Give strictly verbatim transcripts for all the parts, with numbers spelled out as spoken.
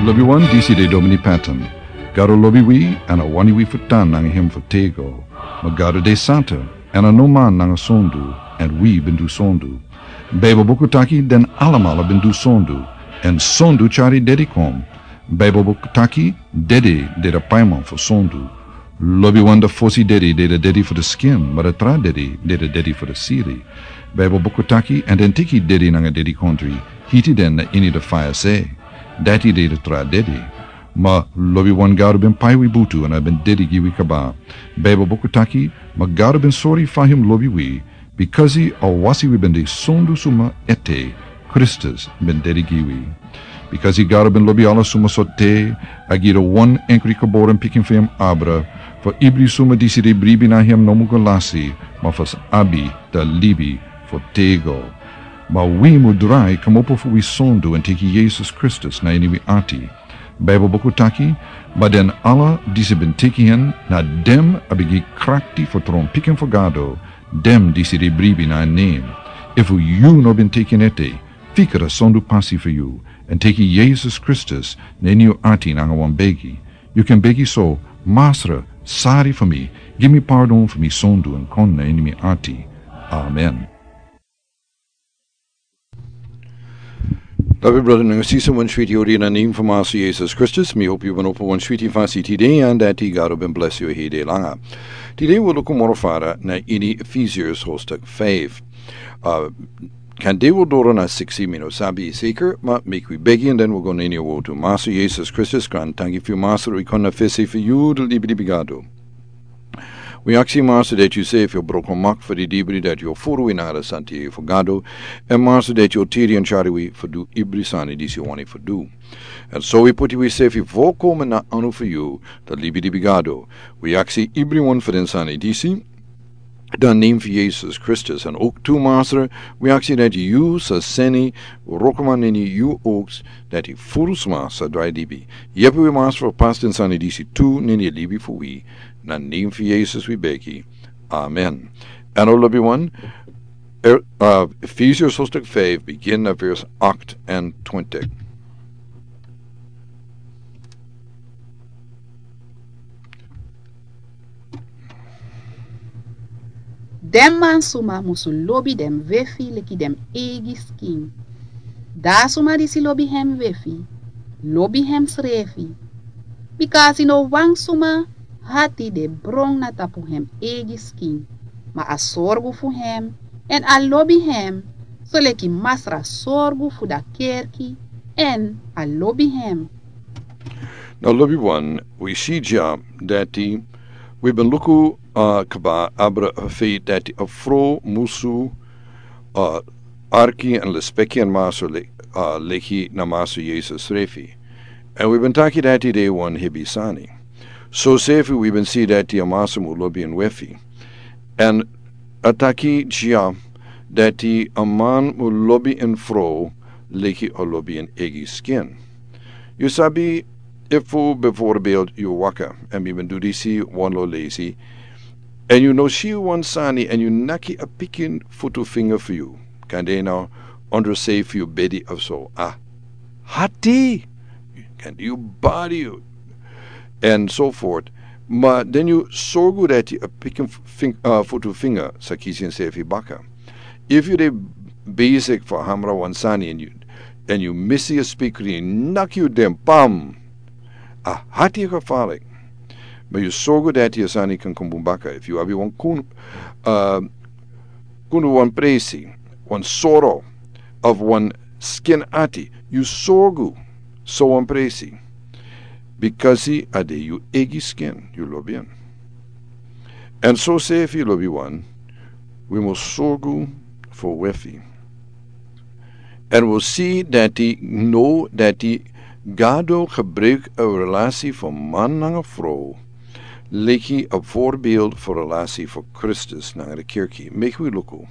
Lobiwan, disi de Domini Patton. Gado lobi wi, èn a wani wi fu tan nanga hem fu tego. Ma Gado de santa, èn a no man nanga sondu, èn wi ben du sondu. Baibel buku taki den alamala ben du sondu, èn sondu tyari dedi kon. Baibel buku taki dedi de da paiman fu sondu. Lobiwan, da fosi dedi de da dedi fu da skin, ma da tra dedi de da dedi fu da siri. Baibel buku taki, èn den teki dedi nanga dedikondri, hiti den na ini da faya se. Dati de da tra dedi. Ma lobiwan, Gado ben pai wi butu èn a ben dedi gi wi kaba. Baibel buku taki, ma Gado ben sori fa hem lobi wi, bikasi a wasi wi ben de sondu suma ete, Kristus ben dedi gi wi. Bikasi Gado ben lobi ala suma so te, a gi da wan enkri geboren pikin fu hem abra, fu ibri suma disi de bribi na hem no mu go lasi, ma fu sa abi da libi fu tego. Ma wi mu drai kmopo fu wi sondu èn teki Yesus Kristus na ini wi ati. Baibel buku taki, ma den ala disi ben teki hen, na den a ben gi krakti fu tron pikin fu Gado, den disi de bribi na en nen. Efu yu no ben teki en ete, fika da sondu pasi fu yu, èn teki Yesus Kristus na ini yu ati nanga wan begi. Yu kan begi so: Masra, sari fu mi, gi mi pardon fu mi sondu èn kon na ini mi ati. Amen. Lobi brada nanga sisa, wan switi odi na nen fu Masra Yesus Kristus. Mi hopi yu ben opo wan switi fasi tide, èn dati Gado ben blesi yu hede langa. Tide wi luku moro fara na ini Efesiërs hoofdstuk vijf. Uh, kan de wi doro na siksi, mi no sabi seker, ma meki wi begi èn den wi go na ini a wortu. Masra Yesus Kristus, grantangi fu yu Masra, wi kon na fesi fu yu, da libi libi Gado. Wi aksi Masra dati yu sefi o broko mak fu di dibri dati yu o furu wi nanga da santidei fu Gado, èn Masra dati yu o tiri èn tyari wi fu du ibri sani disi yu wani fu du. Èn so wi poti wi sefi volkomen na anu fu yu, da libi libi Gado. Wi aksi ibriwan fu den sani disi, dan nen fu Yesus Kristus. Èn ook tu Masra, wi aksi dati yu sa seni wrokoman na ini yu oks, dati furu sma sa drai libi. Yepi wi Masra fu pasi den sani disi tu na ini a libi fu wi, na nen fu Yesus wi begi. Amen. Èn o lobiwan, er, uh, Efesiërs hoofdstuk vijf, begin na vers acht en twintig. Den mansuma musu lobi den wefi leki den eigi skin. Dan a suma disi lobi hem wefi, lobi hemsrefi. Bikasi no wan suma hati de bron na tapu hem eigi skin, ma a sorgu fu hem, èn a lobi hem, soleki Masra sorgu fu da kerki, èn a lobi hem. Now, lobiwan, wi si dya dati wi ben luku, uh, kaba abra a feit dati a frow musu, uh, arki èn lespeki en maso le-, uh, leki na Maso Yesus srefi. Èn wi ben taki dati de wan hebi sani. So sefi wi ben si dati a maso mu lobi en wefi. Èn a taki dya dati a man mu lobi en frow leki a lobi en eigi skin. Yu sabi, efu bijvoorbeeld yu waka, èn mi ben du disi wan lo leisi, èn yu no si wan sani èn yu naki a pikin futu finga fu yu, kan de na ondro sei fu yu bedi of so. A hati, kan de yu bari yu, èn so voort. Ma den yu sorgu dati a pikin fing-, uh, futu finga sa kisi ensefi baka. Efu yu de besik fu hamra wan sani èn yu, èn yu misi a spikri, naki yu den, pam. A hati gevaarlijk. Ma yu sorgu dati a sani kan kon bun baka. Efu yu abi wan kun-, uh, kundu wan presi, wan soro, of wan skin ati, yu sorgu so wan presi. Bikasi a de yu eigi skin, yu lobi en. Èn so sefi, lobiwan, wi mus sorgu fu wefi. Èn wi si dati now dati Gado gebruik a relasi fu man nanga frow leki a voorbeeld fu relasi fu Kristus nanga de kerki. Meki wi luku.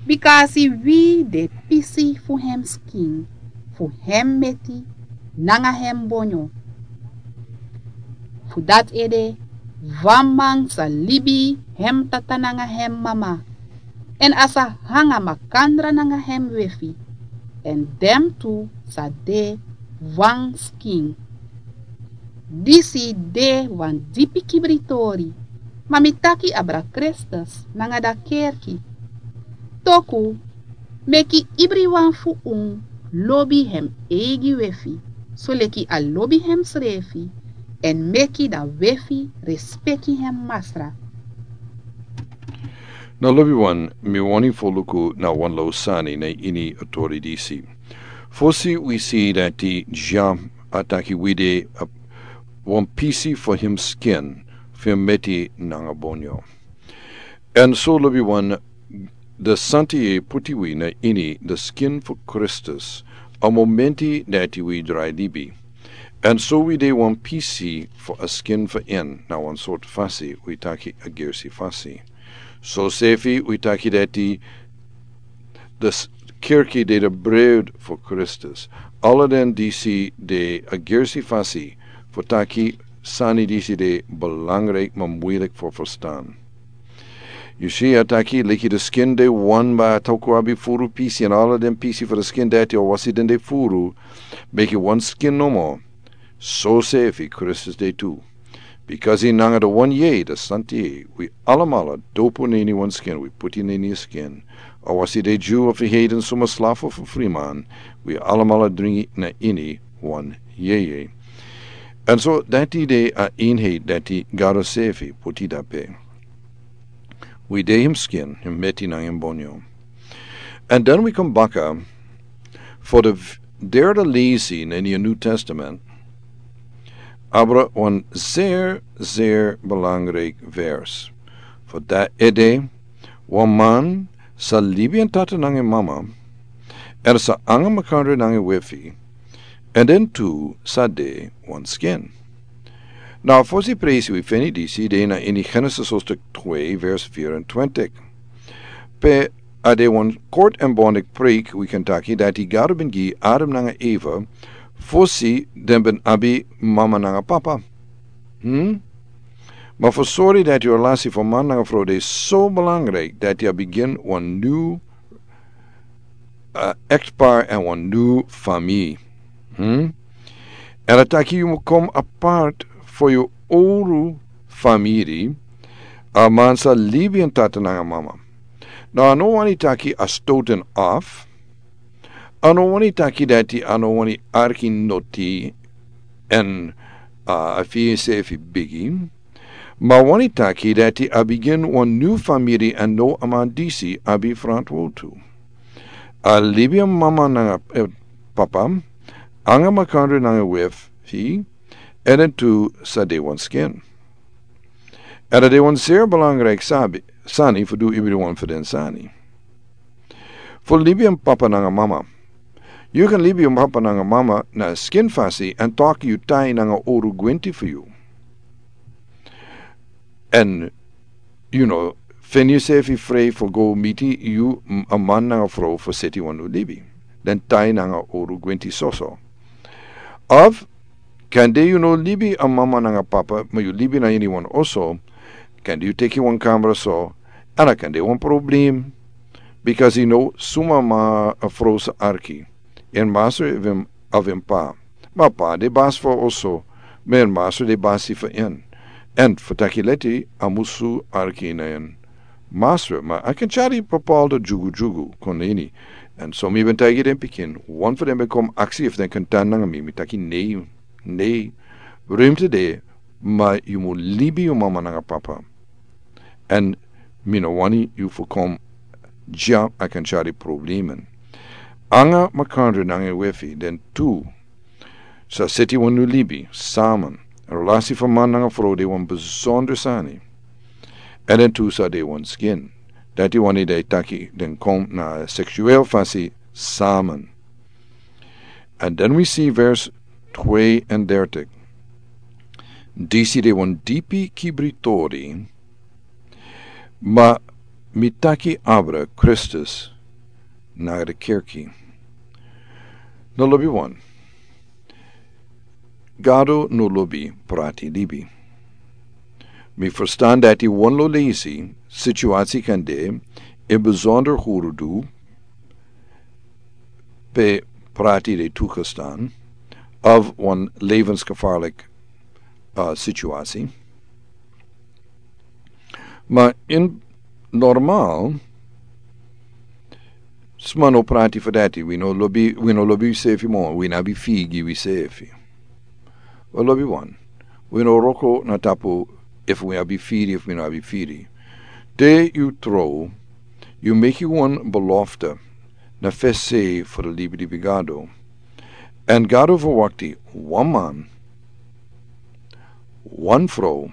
Bikasi wi de pisi fu hem skin, fu hem meti nanga hem bonyo. Fu dati ede, wan man sa libi hem tata nanga hem mama, èn a sa hanga makandra nanga hem wefi, èn den tu sa de wan skin. Disi de wan dipi kibritori, ma mi taki abra Kristus nanga da kerki. Toku, meki ibriwan fu un lobi hem eigi wefi, soleki a lobi hem srefi, en meki da wefi respeki hem masra. Na lobi wan, mi wani foluku na wan lo sani na ini a tori disi. Fosi wi si dati Jean a taki wi de a wan pisi fu him skin fu him meti nanga bonyo. Èn so lobi wan, de santi e puti wi na ini de skin fu Kristus, a momenti dati wi drai libi. Èn so wi de wan pisi fu a skin fu en na wan sort fasi wi taki a gersi fasi. So sefi wi taki dati de s- kirki de de brood fu Kristus. Ala den disi de a gersi fasi fu taki sani disi de belangrijk ma muilik fu verstan. Yu si a taki leki de skin de wan ba a toku abi furu pisi en ala den pisi fu de skin dati o wasi den de furu, meki wan skin nomo. So sefi Kristus de tu. Bikasi nanga de wan yei de santi wi alamala dopu na ini wan skin wi puti na ini skin. A wasi de Jew of a heiden suma slafu fu friman, wi alamala dringi na ini wan yei. Èn so dati de a eenheid dati Gado sefi puti dape. Wi de him skin him meti nanga him bonyo. Èn den wi kon baka fu de derde lesi na ini a New Testament. Abra wan zeer zeer belangrijk vers. Fu dati ede, wan man sa libi en tata nanga en mama, èn sa anga makandri nanga en wefi, èn den tu sa de wan skin. Na fosi presi wi feni disi de na ini Genesis hoofdstuk twee vers vierentwintig. Pe a de wan kort èn bondik preek wi kan taki dati Gado ben gi Adam nanga Eva fosi den ben abi mama nanga papa. Hmm? Ma fu sori dati yu relasi fu man nanga fro de so belangrijk dati a bigin wan nu uh, echtpaar en wan nu famiri. Hmm? En a taki yu mu kom apart fu yu oru famiri. A man sa libi en tata nanga mama. Na a no wani taki a stoten af. A no wani taki dati a no wani arki noti en uh, a fi sefi bigi. Ma wani taki dati a bigin wan nu famiri en no a man disi abi frantwotu. A libi en mama nanga eh, papa anga makandri nanga wefi. Èn den tu sa de wan skin. Èn a de wan zeer belangrijk sabi sani fu du ibriwan fu den sani. Fu libi en papa nanga mama. Yu kan libi en papa nanga mama na skin fasi èn taki yu tai nanga oru gwenti fu yu. Èn yu no feni yusefi frei fu go miti yu a man nanga fro fu seti wan nu libi. Den tai nanga oru gwenti soso. Of kande yu no libi a mama nanga papa ma yu libi na ini wan oso. Kande yu teki wan kamra so. Èn a kande wan problem. Bikasi yu no suma ma a fro sa arki. En masra even aven pa. Ma pa de basi fu a oso. Ma en masra de basi fu en. Èn fu taki leti a musu arki na en masra ma a kan tyari papalda dyugu dyugu kon na ini. Èn so mi ben taigi den pikin wan fu den ben kom aksi efu den kan tan nanga mi mi taki nei. Nei. Rumte de. Ma yu mu libi yu mama nanga papa. Èn mi no wani yu fu kom dya a kan tyari problemen. Anga makandri nanga en wefi den tu sa seti wan nu libi saman. Relasi fu man nanga fro de wan besonder sani. Èn den tu sa de wan skin. Dati wani dati taki den kom na seksuel fasi saman. Èn den wi si vers twee en dertig. Disi de wan dipi kibritori. Ma mi taki abra Kristus na de kerki. No lobi wan. Gado no lobi prati libi. Mi ferstan dati wan lo lesi situasi kan de en besonder huru du pe prati de tukestan. of wan levensgevaarlijk, uh, situatie. Maar in normaal, sma no prati fu dati. Wi no lobi, wi no lobi wisefi mo, wi no abi firi gi wisefi. Wi lobi wan. Wi no wroko na tapu efu wi abi firi, efu wi no abi firi. Te yu trow, yu meki wan belofte na fesi fu di libi libi Gado. Èn Gado verwakti wan man, wan frow,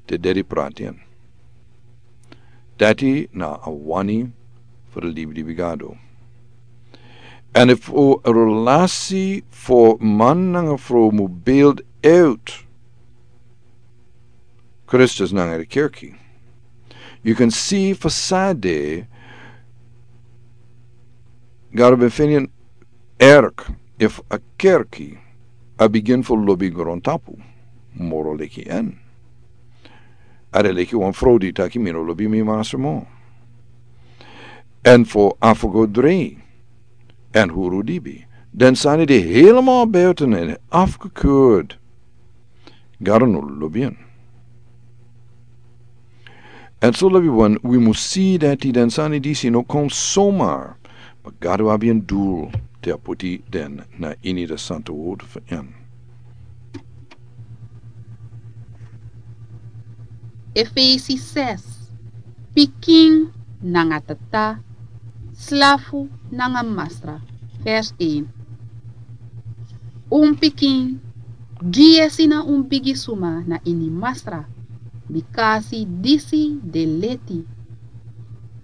te dede prati en. Dati na a wani fu di libi libi Gado. Èn efu a relasi fu man nanga frow mu build uit Kristus nanga di kerki, yu kan si fu san de Gado ben feni en erg efu a kerki a bigin fu lobi grontapu moro leki en. A de leki wan frow di taki mi no lobi mi masra mo. Èn fu afgodri èn huru libi, den sani de helemaal buiten en afgekeurd. Gado no lobi en. Èn so lobi wan, wi mus si dati den sani disi no kon somar, ma Gado abi en dul te a poti den na ini di santa word fu en. Efesi ses, pikin nanga tata, slafu nanga masra. Vers een. Un pikin, gi yesi na un bigi suma na ini masra, bikasi disi de leti.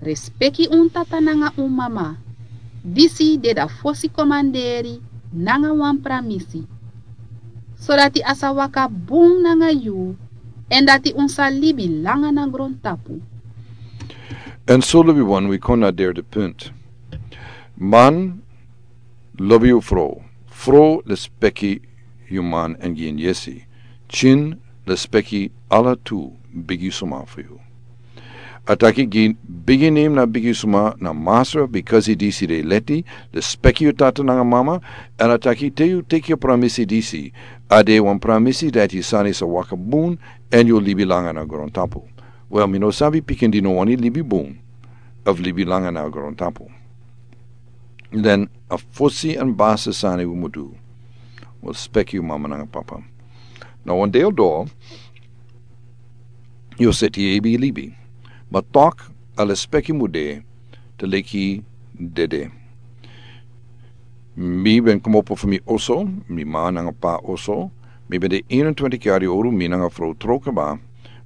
Respeki un tata nanga un mama, disi de a fosi komanderi nanga wan pramisi, sodati a sa waka bun nanga yu, èn dati un sa libi langa na grontapu. Èn so lobi wan, wi kon na derde punt. Man, lobi yu frow. Frow, respeki yu man èn gi en yesi. Pikin, respeki ala tu bigi suma fu yu. A taki gi bigi nen na bigi suma na masra, bikasi disi de leti, respeki yu tata nanga mama, èn a taki te yu teki yu pramisi disi, a de wan pramisi dati sani sa waka bun, èn yu libi langa na grontapu. Wel, mi no sabi pikin di no wani libi bun, of libi langa na grontapu. Den a fosi èn basi sani wi mu du. Wi respeki yu mama nanga papa. Na wan deel doro, yu seti yu ebi libi. Ma tok, a respeki mu de, te leki dede. Mi ben komopo fu mi oso, mi ma nanga pa oso. Mi ben de eenentwintig yari owru, mi nanga frow tron kaba.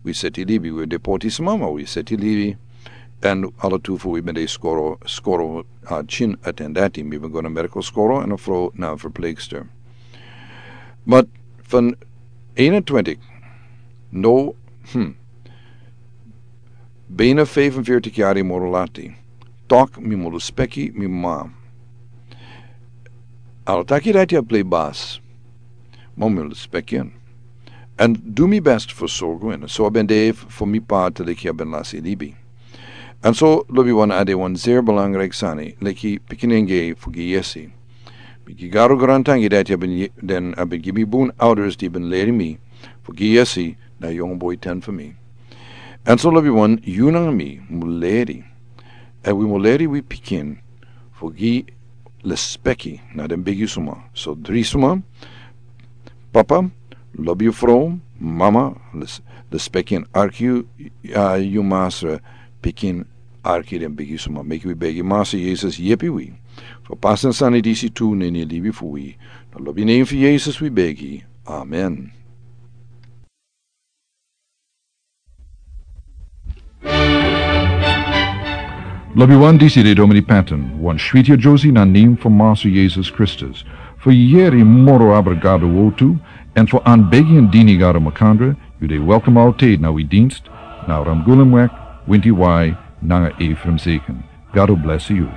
Wi seti libi, wi de poti sma, ma wi seti libi. Èn ala tu fu wi ben de skoro, skoro, a, pikin a ten dati. Mi ben go na medical skoro èn a frow na verpleegster. Ma van eenentwintig, no, hm, bijna vijfenveertig yari moro lati. Tok mi mu respeki mi ma. Ala taki dati a plei basi. Ma mi mu respeki en. Èn du mi best fu sorgu en. So a ben de fu mi pa te leki a ben lasi libi. Èn so lobi wan, a de wan zeer belangrijk sani, leki pikinenge fu gi yesi. Mi gi Gado grantangi dati a ben ye-, den a ben gi mi bun ouders di ben leri mi fu gi yesi na yongu boi ten fu mi. Èn so lobi wan, yu nanga mi mu leri. Èn wi mu leri wi pikin fu gi respeki na den bigi suma. So dri suma, papa, lobi yu frow, mama, res-, respeki èn arki yu, a, yu masra, pikin, arki den bigi suma. Meki wi begi Masra Yesus yepi wi fu pasa den sani disi tu na ini libi fu wi. Na lobi nen fu Yesus wi begi. Amen. Lobi wan, disi de Domini Patton, wan switi a Josie na nen fu Masra Yesus Kristus. Fu yeri moro abra Gado wortu, èn fu anbegi èn dini Gado makandra, yu de welkom altijd na wi dienst, na Ramgulumweg, Winti Wai, nanga Ephraim Zeken. Gado bless yu.